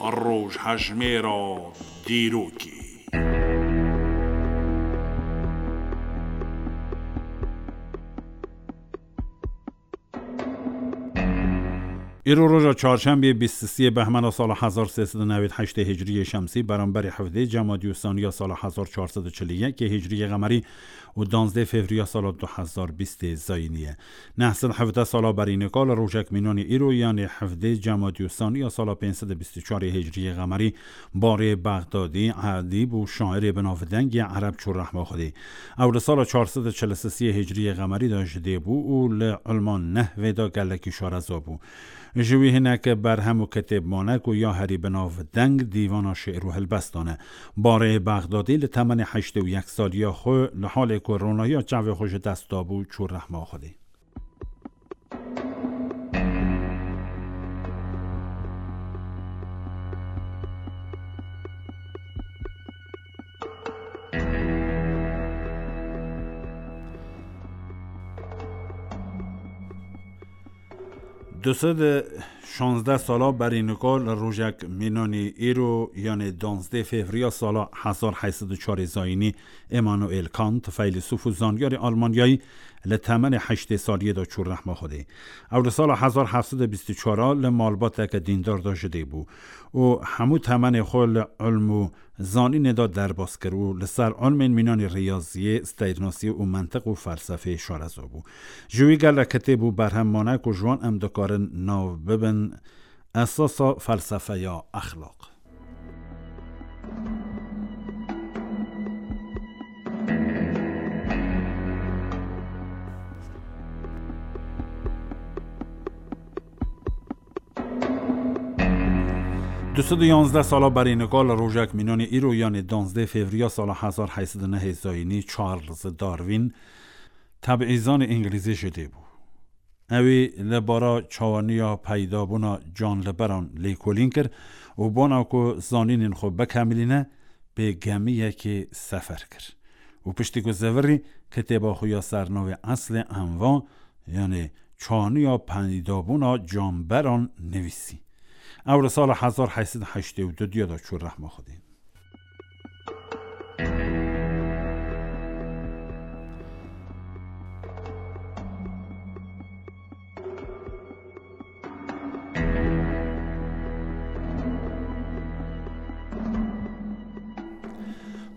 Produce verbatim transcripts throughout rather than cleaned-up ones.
Rojhejmêra dîrokê. Îro roja çarşembê bîst û sê behmena sala hezar sê sed û newêd heştê hicriyê şemsî, beramberî hevdê cemadî û saniya sala hezar çar sed û çil û yekê hicriyê qemerî û danzdê fevriya sala du hezar bîstê zayînî ye. Neh sed hevdeh sala berî nika li rojek mînanî îro, yanê hevdê cemadî û saniya sala pênc sed û bîst û çarê hicriyê qemerî, barê Bexdadî, edîb û şairê binavdeng yê ereb çû rehma Xwedê. Ew li sala çar sed û çil û sê hicriyê qemerî de ji dê bû û li ilma nehvê de gelekî şareza bû. Ji wî hinek berhem û kitêb mane ku ya herî binavdeng dîvana şi'r û helbestan e. Barê Bexdadî li temenê heştê û yek saliya xwe, li halê ku ronahiya çavê xwe ji dest dabû, çû rehma Xwedê. Du sed û şazdeh sala berî nika li rojek mînanî îro, yanê danzdê fevriya sala hezar heyt sed û çarê zayînî, Immanuel Kant, feylesûf û zanyarê Almanyayî, li temenê heştê saliyê de çû rehma Xwedê. Ew li sala hezar heft sed û bîst û çar li malbateke dîndar de ji dê bû û hemû temenê xwe li ilm û zanînê de derbas kir û li ser ilmên mînanî riyaziyê, steyrnasiyê û mentiq û felsefeyê şareza bû. Ji wî gelek kitêb û berhem mane ku ji wan em dikarin nav bibin esasa felsefeya exlaq. Du sed û yanzdeh sala berî nika li rojek mînanî îro, yanê danzdê fevriya sala hezar heyt sed û nehê zayînî, Charles Darwin, tebîzanê îngilîzî ji dê bû. Ewî li bara çawaniya peydabûna canliberan lêkolîn kir û bona ku zanînên xwe bikemilîne, bi gemiyekê sefer kir û piştî ku zivirî, kitêba xwe ya sernavê Eslê Enva, yanê çawaniya peydabûna canberan nivîsî. Ew li sala hezar heyt sed û heştê û du diya de çû rehma Xwedê.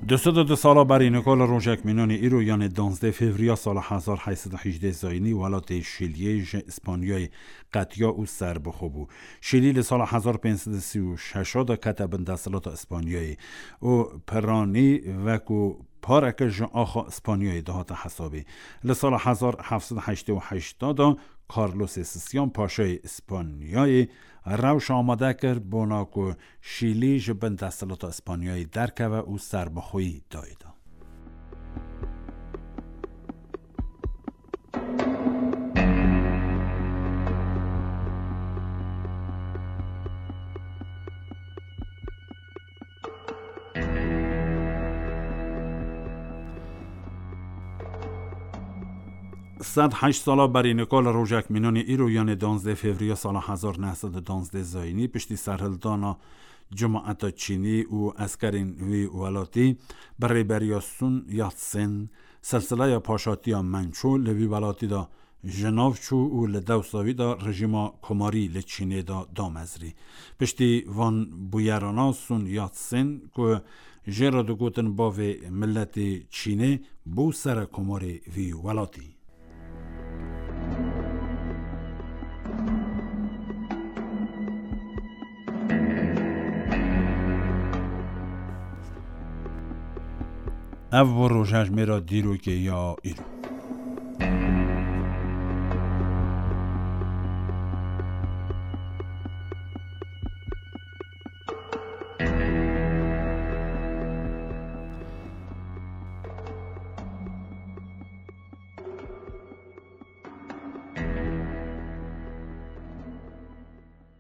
Du sed û du sala berî nika li rojek mînanî îro, yanê danzdeh fevriya sala hezar heyt sed û hejdeh zayînî, welatê Şîliyê ji Îspanyayê qetiya û serbixwe bû. Şîlî li sala hezar pênc sed û sî û şeş de kete bin desthilata Îspanyayê û piranî wekû pareke ji axa Îspanyayê dihate hesabê. Li sala hezar heft sed û heştê û heşt de Carlosê Sisyan, paşayê Îspanyayê, rewş amade kir bona ku Şîlî ji bin desthilata Îspanyayê derkeve û serbixweyî dayê de. Sed heşt sala berî nika li rojek mînanî îro, yanê danzdeh fevriya sala hezar neh sed û danzdeh zayînî, piştî serhildana cemaeta Çînî û eskerên wî welatî, bi rêberiya Sun Yat-sen, silsileya paşatiya Mençû li vî welatî de ji nav çû û li dewsa wî de rejîma komarî li Çînê de damezrî. Piştî van bûyerana Sun Yat-sen, ku jê re digotin bavê miletê Çînê, bû serekomarê vî welatî. Ev bû rojhejmêra dîrokê ya îro.